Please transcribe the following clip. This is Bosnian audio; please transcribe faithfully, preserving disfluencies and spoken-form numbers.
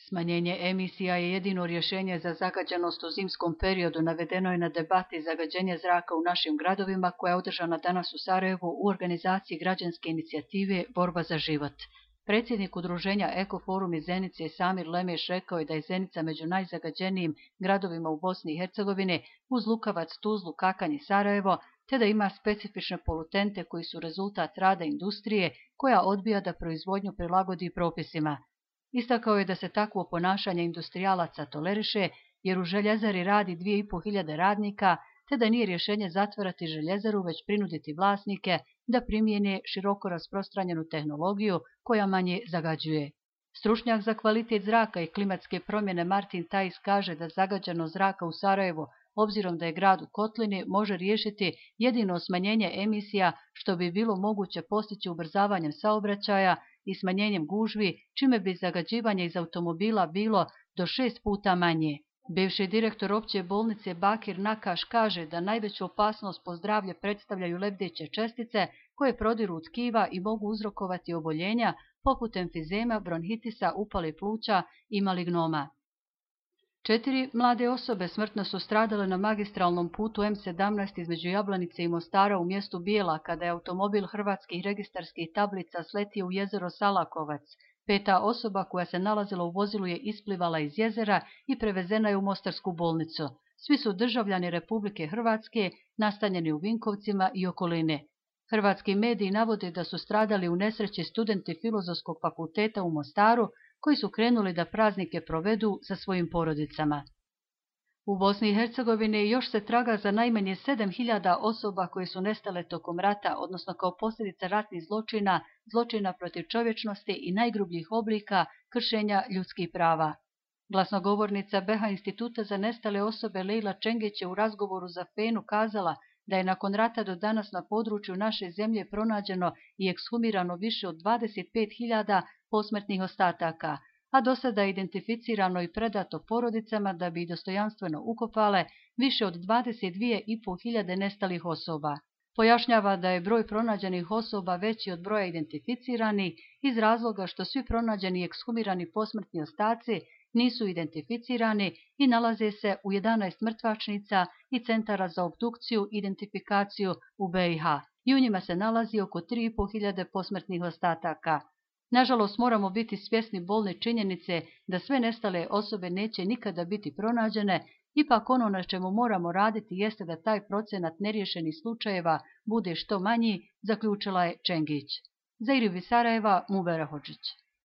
Smanjenje emisija je jedino rješenje za zagađenost u zimskom periodu, navedeno je na debati zagađenja zraka u našim gradovima koja je održana danas u Sarajevu u organizaciji građanske inicijative Borba za život. Predsjednik udruženja Ekoforum iz Zenice Samir Lemeš rekao je da je Zenica među najzagađenijim gradovima u Bosni i Hercegovini uz Lukavac, Tuzlu, Kakanj i Sarajevo, te da ima specifične polutente koji su rezultat rada industrije koja odbija da proizvodnju prilagodi propisima. Istakao je da se takvo ponašanje industrijalaca toleriše jer u željezari radi dvije i po hiljade radnika, te da nije rješenje zatvarati željezaru već prinuditi vlasnike da primijene široko rasprostranjenu tehnologiju koja manje zagađuje. Stručnjak za kvalitet zraka i klimatske promjene Martin Tajs kaže da zagađenost zraka u Sarajevu, obzirom da je grad u kotlini, može riješiti jedino smanjenje emisija što bi bilo moguće postići ubrzavanjem saobraćaja i smanjenjem gužvi, čime bi zagađivanje iz automobila bilo do šest puta manje. Bivši direktor opće bolnice Bakir Nakaš kaže da najveću opasnost po zdravlje predstavljaju lebdeće čestice koje prodiru tkiva i mogu uzrokovati oboljenja poput emfizema, bronhitisa, upale pluća i malignoma. Četiri mlade osobe smrtno su stradale na magistralnom putu M sedamnaest između Jablanice i Mostara u mjestu Bijela kada je automobil hrvatskih registarskih tablica sletio u jezero Salakovac. Peta osoba koja se nalazila u vozilu je isplivala iz jezera i prevezena je u Mostarsku bolnicu. Svi su državljani Republike Hrvatske, nastanjeni u Vinkovcima i okoline. Hrvatski mediji navode da su stradali u nesreći studenti Filozofskog fakulteta u Mostaru, koji su krenuli da praznike provedu sa svojim porodicama. U Bosni i Hercegovini još se traga za najmanje sedam hiljada osoba koje su nestale tokom rata, odnosno kao posljedica ratnih zločina, zločina protiv čovječnosti i najgrubljih oblika kršenja ljudskih prava. Glasnogovornica B e H Instituta za nestale osobe Lejla Čengić je u razgovoru za Fenu kazala da je nakon rata do danas na području naše zemlje pronađeno i ekshumirano više od dvadeset pet hiljada posmrtnih ostataka, a do sada je identificirano i predato porodicama da bi dostojanstveno ukopale više od dvadeset dvije i po hiljade nestalih osoba. Pojašnjava da je broj pronađenih osoba veći od broja identificiranih iz razloga što svi pronađeni i ekshumirani posmrtni ostaci nisu identificirani i nalaze se u jedanaest mrtvačnica i centara za obdukciju i identifikaciju u B i H i u njima se nalazi oko tri i po hiljade posmrtnih ostataka. Nažalost, moramo biti svjesni bolne činjenice da sve nestale osobe neće nikada biti pronađene, ipak ono na čemu moramo raditi jeste da taj procenat neriješenih slučajeva bude što manji, zaključila je Čengić. Za Irivi Sarajeva, Mubera Hodžić.